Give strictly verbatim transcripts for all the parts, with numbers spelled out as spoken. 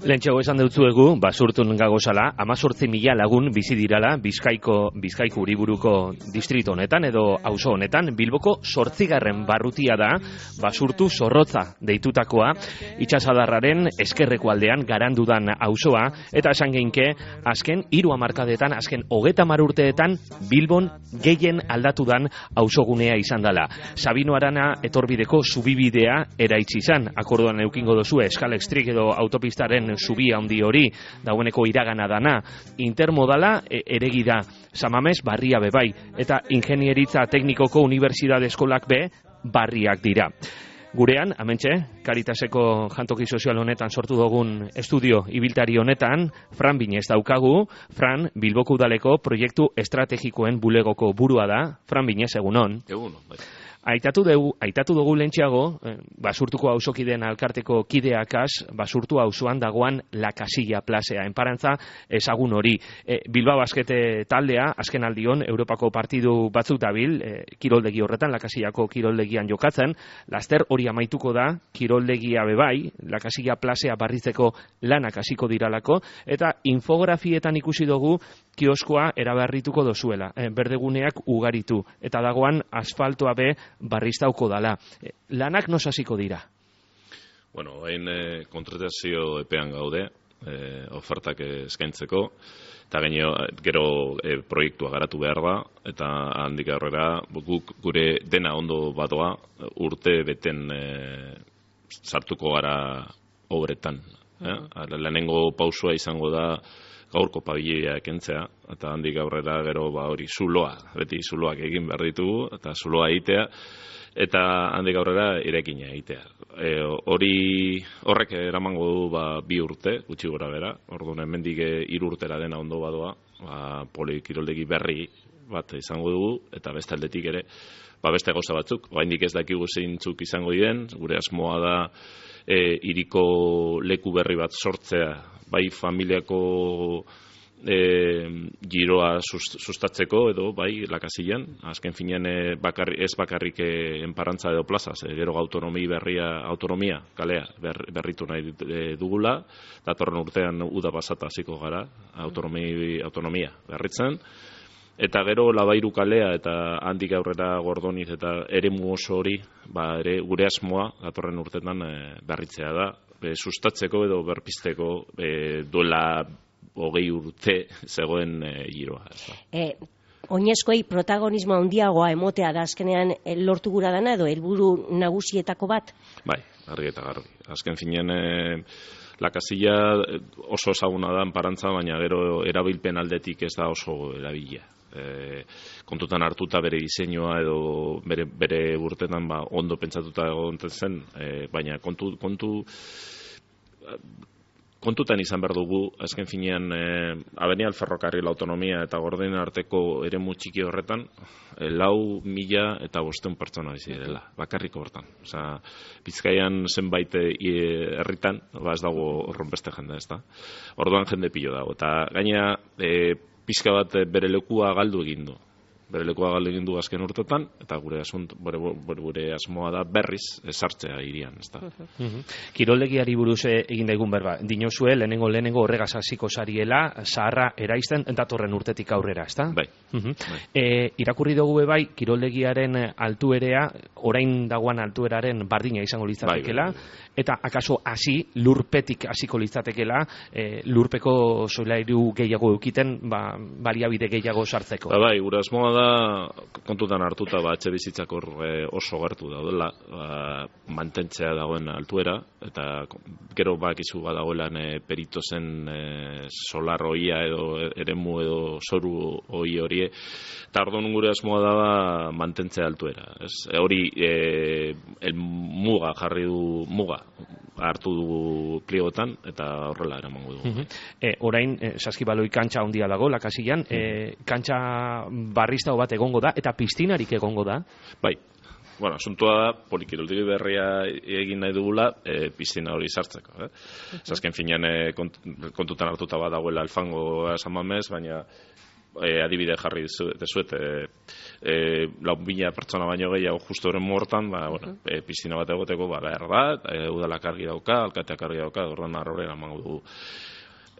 Lehentxeago esan deutzuegu, basurtun gagozala, amazortzi mila lagun bizi dirala Bizkaiko, Bizkaiko Uriburuko distrito honetan edo auzo honetan. Bilboko zortzigarren barrutia da, basurtu zorrotza deitutakoa, itxasadarraren eskerreko aldean garandudan auzoa, eta esan geinke, azken hiru hamarkadetan, azken hogeta hamar urteetan, Bilbon gehien aldatudan auzogunea izan dela. Sabino Arana etorbideko zubibidea eraitsi izan, akordoan eukingo dozue, Eskalextrik edo autopistaren subia handi hori, dagoeneko iragana dana, intermodala e, eregi da, Samames barria bebai, eta ingenieritza teknikoko unibertsitate eskolak be barriak dira. Gurean, hementxe, Caritaseko jantoki sozial honetan sortu dugun estudio ibiltari honetan, Fran Binez daukagu. Fran, Bilboko udaleko proiektu estrategikoen bulegoko burua da. Fran Binez, egunon. Egunon, bai. Aitatu dugu, aitatu dugu lehentxeago, eh, basurtuko auzokideen alkarteko kideakaz, basurtu auzoan dagoan La Casilla plazea. Enparantza ezagun hori. E, Bilbao Baskete taldea, azken aldion, Europako partidu batzuk dabil, e, kiroldegi horretan, La Casillako kiroldegian jokatzen, laster hori amaituko da, kiroldegia bebai, La Casilla plazea barritzeko lanak hasiko diralako, eta infografietan ikusi dugu kioskoa eraberrituko dozuela, e, berdeguneak ugaritu, eta dagoan asfaltoa be barriztauko dala. Lanak nos hasiko dira? Bueno, hain e, kontratazio epean gaude, e, ofertak eskaintzeko, eta gaino, gero e, proiektua garatu behar da, eta handik aurrera guk gure dena ondo badoa urte beten e, sartuko gara obretan. Eh? Lehenengo pausua izango da gaurko pabilia kentzea, eta handik aurrera gero ba hori zuloa, beti zuloak egin behar ditugu, eta zuloa egitea, eta handik aurrera irekina egitea. E, hori horrek eramango du ba, bi urte, gutxi gora bera, orduan hemendik hiru urtera dena ondo badoa, ba, polikiroldegi berri bat izango dugu, eta beste aldetik ere, ba, beste gauza batzuk, oraindik ez dakigu zeintzuk izango diren, gure asmoa da e, hiriko leku berri bat sortzea, bai familiako e, giroa sustatzeko edo bai La Casillan, azken finean e, bakarri, ez bakarrik e, enparantza edo plazaz, e, gero autonomi berria, autonomia kalea ber, berritu nahi dugula, datorren urtean uda pasata hasiko gara, autonomi, autonomia berritzen, eta gero Labairu kalea eta handik aurrera Gordoniz eta eremu oso hori, ba, ere gure asmoa datorren urtetan e, berritzea da, be, sustatzeko edo berpizteko e, duela hogei urte zegoen e, giroa. E, oinezkoei protagonismo handiagoa emotea da azkenean e, lortu gura dana edo helburu nagusietako bat? Bai, argi eta garbi. Azken finean e, La Casilla oso ezaguna da enparantza, baina gero erabilpen aldetik ez da oso erabilia. E, kontutan hartuta bere diseinua edo bere, bere urtetan ba, ondo pentsatuta egonten zen, e, baina kontu, kontu kontutan izan behar dugu, azken finean e, Avenida del Ferrocarril autonomia eta Gordenen arteko eremu txiki horretan e, lau mila eta bosteun pertsona bizi direla, bakarriko hortan. Osea, Bizkaian zenbait herritan, ba ez dago horrenbeste jende, ez da. Orduan jende pilo dago, eta gaina e, pixka bat bere lekua galdu egin du. Bere lekua galdu egin du azken urtetan, eta gure asunt, bere, bere, bere asmoa da berriz esartzea hirian, ez da. Uh-huh. Kiroldegiari buruz egin daigun berba, dinozue, lehenengo lehenengo horregaz hasiko zariela, zaharra eraizten datorren urtetik aurrera, ez da? Bai. Uh-huh. bai. E, irakurri dugu bai, kiroldegiaren altuerea, orain dagoan altueraren bardina izango litzatekela, bai, bai, bai. Eta akaso hasi, lurpetik hasiko litzatekela, e, lurpeko solairu gehiago eukiten, ba, baliabide gehiago sartzeko. Ba, bai, gure asmoa da kontutan hartuta ba, etxe bizitzak hor e, oso gertu daudela, ba, mantentzea dagoen altuera, eta gero bakizu badagoelan e, peritozen e, solar hoia edo eremu edo zoru hoi horie, eta orduan gure asmoa da ba, mantentzea altuera. Ez? E, hori e, el muga jarri du muga hartu dugu pliegotan eta horrela eramango dugu. Uh-huh. e, orain, e, saskibaloi kantxa handia dago, La Casillan, uh-huh. e, kantxa barriztao bat egongo da, eta piztinarik egongo da? Bai. Bueno, asuntua da, polikiroldegi berria egin nahi dugula, e, piztina hori sartzeko. Eh? Uh-huh. Azken finean e, kont, kontutan hartuta bat dagoela alfango esan mamez, baina e, adibide jarri dezuet, e, e, lau mila pertsona baino gehiago justu horren mortan, ba, bueno, e, piztina bat egoteko, ba, behar da, e, udalak argi dauka, alkateak argi dauka, orduan arrorera emango dugu.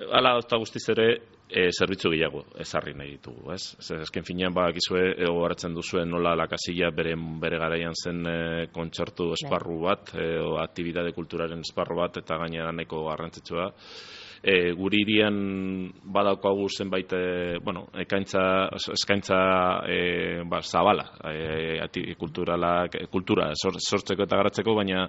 Hala, eta guztiz ere, e, zerbitzu gehiago ezarri nahi ditugu, ez? Ezken finean, ba, gizue, ego garatzen duzuen nola lakasilla bere, bere garaian zen e, kontzertu esparru bat, e, o aktibidade kulturaren esparru bat, eta gainera nahiko garrantzitsua. E, guri irian badaukagu zenbait, e, bueno, ekaintza, eskaintza e, ba, zabala, e, ati, kulturala, kultura sortzeko eta garatzeko, baina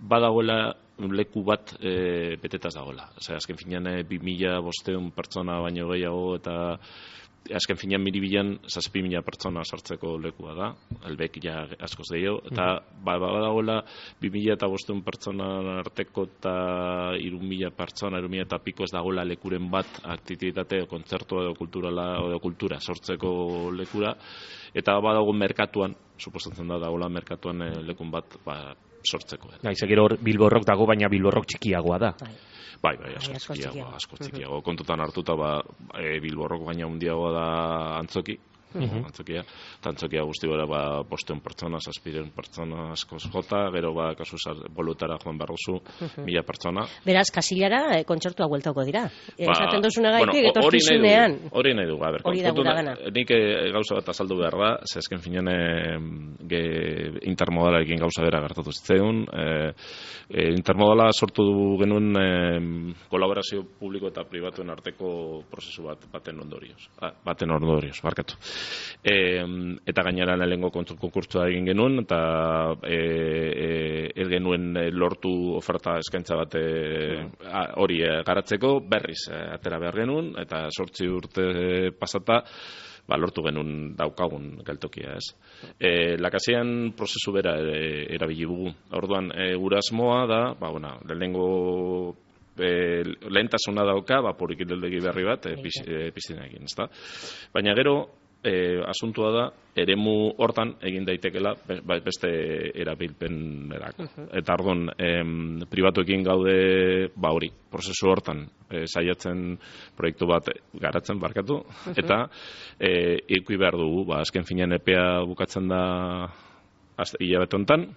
badagoela leku bat e, betetaz dagoela. Osea, azken finean e, bi mila bostehun pertsona baino gehiago eta azken finean miribilan zazpi mila pertsona sartzeko lekua da, elbek ja askoz gehiago, eta ba, badagoela bi mila eta bostehun pertsona arteko eta hiru mila pertsona, hiru mila eta piko ez dagoela lekuren bat aktivitate, kontzertua edo kulturala edo kultura sortzeko lekura, eta badago merkatuan, suposatzen da dagoela merkatuan e, lekun bat, ba, sortzeko. Naiz, gero Bilborrok dago, baina Bilborrok txikiagoa da. Bai, bai, asko txikiagoa, asko txikiago. Kontutan hartuta, ba, e, Bilborrok baina handiagoa da Antzoki, uh-huh. Antzokia, eta Antzokia guzti gara, ba, bosteun pertsona, zazpireun pertsona askoz jota, gero, ba, kasu bolutara joan barrozu, uh-huh. mila pertsona. Beraz, Kasillara e, kontzertuak bueltauko dira. Ba, esaten duzuna gaitik, bueno, etorkizunean. Hori nahi dugu, a ber, hori da gura gana. Nik e, gauza bat azaldu behar da, ze azken finean e, intermodalarekin gauza bera gertatu zitzeun, e, e, intermodala sortu genuen e, kolaborazio publiko eta pribatuen arteko prozesu bat baten ondorioz. Ah, baten ondorioz, barkatu. E, eta gainera lehengo konkurtsua egin genuen, eta e, e, ez genuen lortu oferta eskaintza bat hori e, garatzeko, berriz e, atera behar genuen, eta sortzi urte pasata, ba, lortu genuen daukagun geltokia, ez. E, lakasian prozesu bera e, erabili dugu. Orduan, e, gure asmoa da, ba, bueno, lehenengo e, lehentasuna dauka, ba, porikildegi berri bat, e, piz, e, piztinekin, ezta. Baina gero, E, asuntua da, eremu hortan egin daitekela beste erabilpenerako. Uh-huh. Eta orduan, em, pribatuekin gaude, ba hori, prozesu hortan e, saiatzen proiektu bat garatzen barkatu, uh-huh. eta e, ikui behar dugu, ba, azken finean epea bukatzen da hilabete hontan,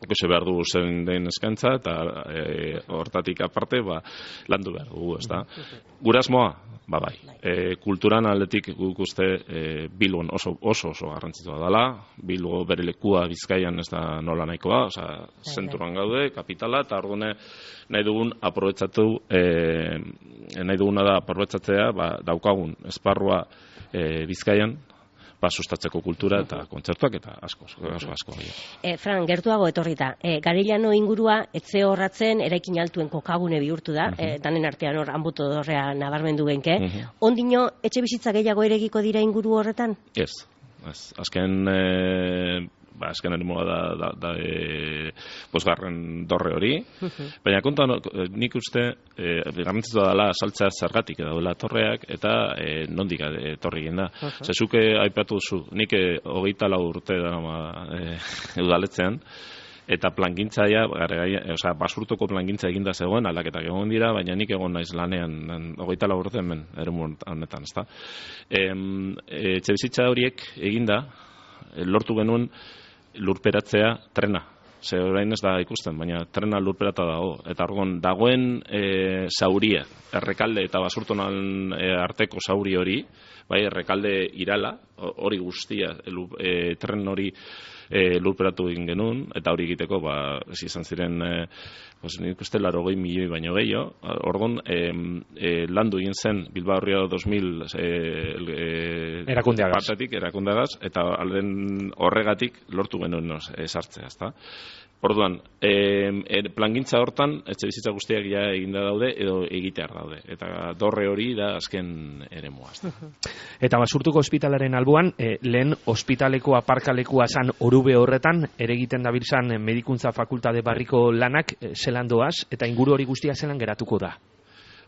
Okese behar dugu zen den eskaintza, eta e, hortatik aparte, ba, landu behar dugu, ez da. Gure asmoa, ba bai, e, kulturan aldetik guk uste e, Bilbon oso oso, oso garrantzitsua dela, Bilbo bere lekua Bizkaian ez da nola nahikoa, oza, zenturan gaude, kapitala, eta ordune nahi dugun aprobetsatu, e, nahi duguna da aprobetsatzea, ba, daukagun esparrua e, Bizkaian, ba, sustatzeko kultura eta kontzertuak eta asko, asko, asko. E, Fran, gertuago etorrita, e, Garellano ingurua etze horratzen eraikin altuen kokagune bihurtu da, uh-huh. e, danen artean hor anbuto dorrea nabarmendu genke. Uh-huh. Ondino, etxe bizitza gehiago eregiko dira inguru horretan? Ez, ez. Azken... E... Ba, azken erimoa da, da, da e, bosgarren dorre hori, uh-huh. baina konta nik uste e, garrantzitua dela saltzea zergatik daudela torreak eta e, nondik etorri egin da. Uh-huh. Zezuke aipatu duzu, nik e, hogeita lau urte da e, udaletzean, eta plangintzaia, osea, basurtoko plangintza eginda zegoen, aldaketak egon dira, baina nik egon naiz lanean, hogeita lau urte hemen, eremu honetan, ezta. E, e, etxebizitza horiek eginda, lortu genuen lurperatzea trena. Ze orain ez da ikusten, baina trena lurperata dago. Eta orduan dagoen e, zauria, errekalde eta basurtonan e, arteko zauri hori, bai, errekalde irala, hori guztia, e, tren hori e, lurperatu egin genuen, eta hori egiteko, ba, ez izan ziren, e, pues, nik uste larogei milioi baino gehiago. Orduan, e, e, landu egin zen Bilbao Ria dos mil e, e, erakundeagaz. Partetik, erakundeagaz, eta alden horregatik lortu genuen e, sartzea, ezta? Orduan, e, plangintza hortan, etxe bizitza guztiak ja eginda daude, edo egitear daude. Eta dorre hori da azken eremua. Eta Basurtuko ospitalaren alboan, e, lehen ospitaleko aparkalekua zan orube horretan, ere egiten dabiltzan medikuntza fakultate barriko lanak e, zelan doaz, eta inguru hori guztia zelan geratuko da?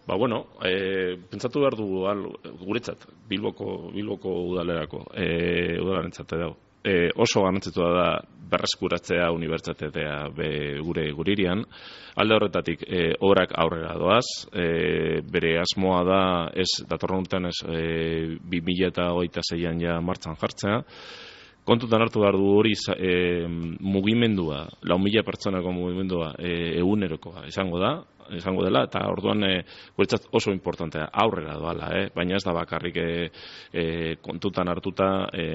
Ba, bueno, e, pentsatu behar dugu, al, guretzat, Bilboko, Bilboko udalerako, e, udalarentzat dago. e, oso garrantzitsua da berreskuratzea unibertsitatea be gure guririan. Alde horretatik e, obrak aurrera doaz, e, bere asmoa da ez datorren urtean ez e, bi mila hogeita seian ja martxan jartzea. Kontutan hartu behar du hori e, mugimendua, lau mila pertsonako mugimendua e, egunerokoa izango da, izango dela, eta orduan e, guretzat oso importantea aurrera doala, eh? Baina ez da bakarrik e, e, kontutan hartuta e,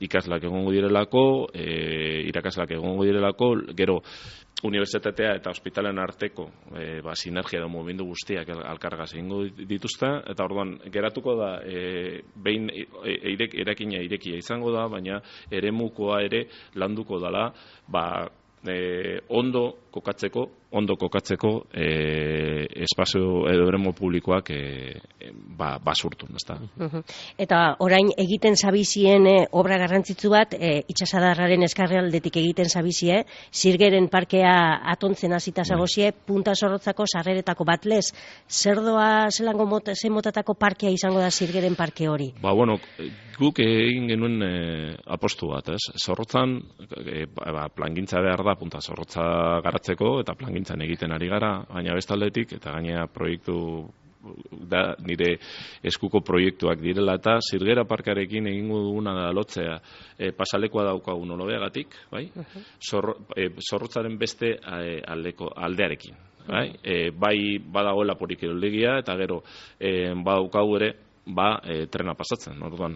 ikaslak egongo direlako, e, irakasleak egongo direlako, gero unibertsitatea eta ospitalen arteko e, ba, sinergia edo mugimendu guztiak alkargaz egingo dituzte, eta orduan geratuko da e, behin e, irek, erakina irekia izango da, baina eremukoa ere landuko dela, ba, e, ondo kokatzeko, ondo kokatzeko e, espazio edo eremu publikoak e, e, ba, basurtun, ezta. Uh-huh. Eta orain egiten zabizien e, obra garrantzitsu bat, e, itxasadarraren eskarrealdetik egiten zabizie, Zirgeren parkea atontzen hasita zagozie, punta zorrotzako sarreretako bat lez, zer doa zelango mot, zen motatako parkea izango da Zirgeren parke hori? Ba, bueno, guk egin genuen e, apostu bat, ez? Zorrotzan, e, ba, plangintza behar da, punta zorrotza garatzeko, eta plangintzan egiten ari gara, baina bestaldetik, eta gainera proiektu da nire eskuko proiektuak direla, eta Zirgera parkarekin egingo duguna da lotzea e, pasalekoa daukagun olobeagatik, bai? Uh-huh. Zorro, e, zorrotzaren beste e, aldeko, aldearekin. Bai, e, bai badagoela porikiroldegia, eta gero e, badaukagu ere ba, e, trena pasatzen. Orduan,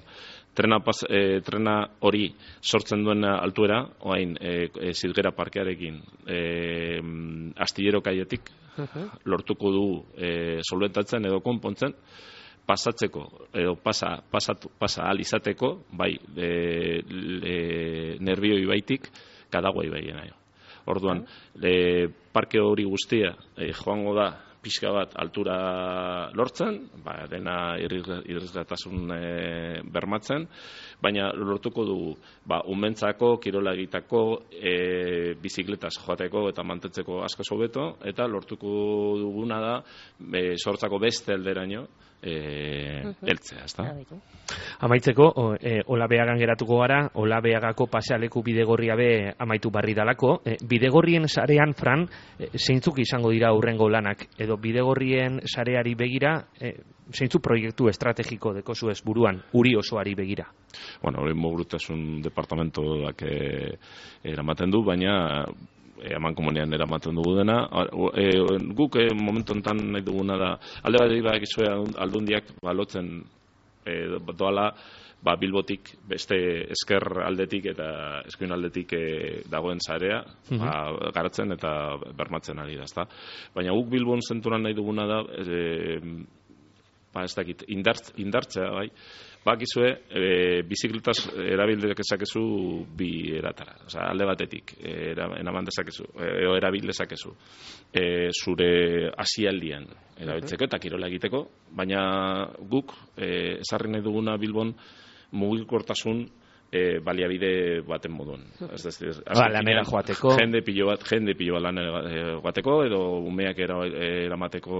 trena, pas, e, trena hori sortzen duen altuera, oain e, e, Zirgera parkearekin e, astillero kaietik uh-huh. lortuko du e, solventatzen edo konpontzen, pasatzeko edo pasa, pasatu, pasa ahal izateko, bai, e, e, Nerbioi baitik, Kadagua ibaiena. Orduan, e, parke hori guztia e, joango da pixka bat altura lortzen, ba, dena irrisgatasun e, bermatzen, baina lortuko dugu ba, umentzako, kirola egitako, e, bizikletaz joateko eta mantentzeko asko hobeto, eta lortuko duguna da e, sortzako beste alderaino e, heltzea, ezta? Amaitzeko, e, Olabeagan geratuko gara, Olabeagako pasealeku bidegorria be amaitu barri dalako. E, bidegorrien sarean, Fran, e, zeintzuk izango dira hurrengo lanak, edo bidegorrien sareari begira, e, zeintzuk proiektu estrategiko dekozu ez buruan, uri osoari begira? Bueno, hori mobilitasun departamentoak e, eramaten du, baina eman komunean eramaten dugu dena. E, guk e, momentu enten nahi duguna da, alde bat dira egizue aldundiak balotzen e, doala, ba, Bilbotik beste esker aldetik eta eskuin aldetik e, dagoen zarea uh-huh. ba, garatzen eta bermatzen ari da, ezta. Baina guk Bilbon zenturan nahi duguna da, e, ba, ez dakit, indartz, indartzea, bai, bakizue, e, bizikletaz erabil dezakezu bi eratara. Osea, alde batetik, eraman dezakezu, e, erabil dezakezu, e, zure hasialdian erabiltzeko eta kirola egiteko, baina guk, e, ezarri nahi duguna Bilbon, mugikortasun e, baliabide baten moduan. Ez da, ba, lanera joateko. Jende pilo bat, jende pilo bat lanera joateko, edo umeak eramateko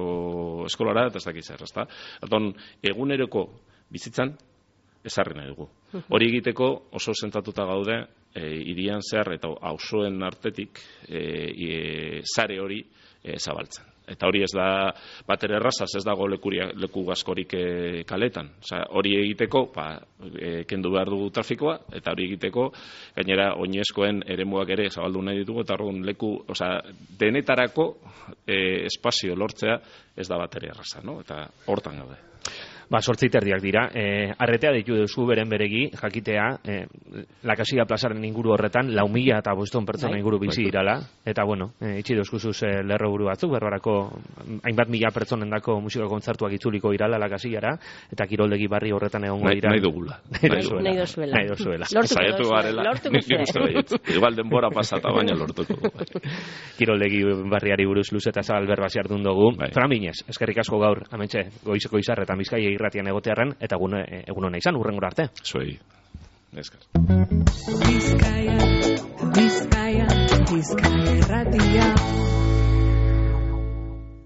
eskolara, eta ez dakiz zer, ezta? Aton, eguneroko bizitzan, ezarri nahi dugu. Hori egiteko oso zentratuta gaude, e, irian zehar eta auzoen artetik e, e, sare hori e, zabaltzen. Eta hori ez da batere errazaz, ez dago lekuria, leku askorik e, kaletan. Osea, hori egiteko, ba, e, kendu behar dugu trafikoa, eta hori egiteko, gainera, oinezkoen eremuak ere zabaldu nahi ditugu, eta orduan leku, osea, denetarako e, espazio lortzea ez da batere erraza, no? Eta hortan gaude. Ba, sortzi terdiak dira. E, arretea ditu duzu beren beregi, jakitea, e, Lakasia plazaren inguru horretan, lau mila eta boston pertsona inguru bizi dirala, eta bueno, e, itxi dozkuzuz e, lerro buru batzuk, berbarako hainbat mila pertsonendako musika kontzertuak itzuliko irala Lakasiara, eta kiroldegi barri horretan egongo dira. Nahi dugula. Nahi dozuela. Nahi dozuela. Saiatu garela. Igual denbora pasata, baina lortuko. Kiroldegi barriari buruz luz eta zabal berba ziardun dugu. Fran Binez, eskerrik asko gaur, amentxe, goizeko izarretan Bizkaia irratian egotearren, eta egun, egun hona izan, urrengora arte. Zuei, eskar. Bizkaia, Bizkaia, Bizkaia irratia.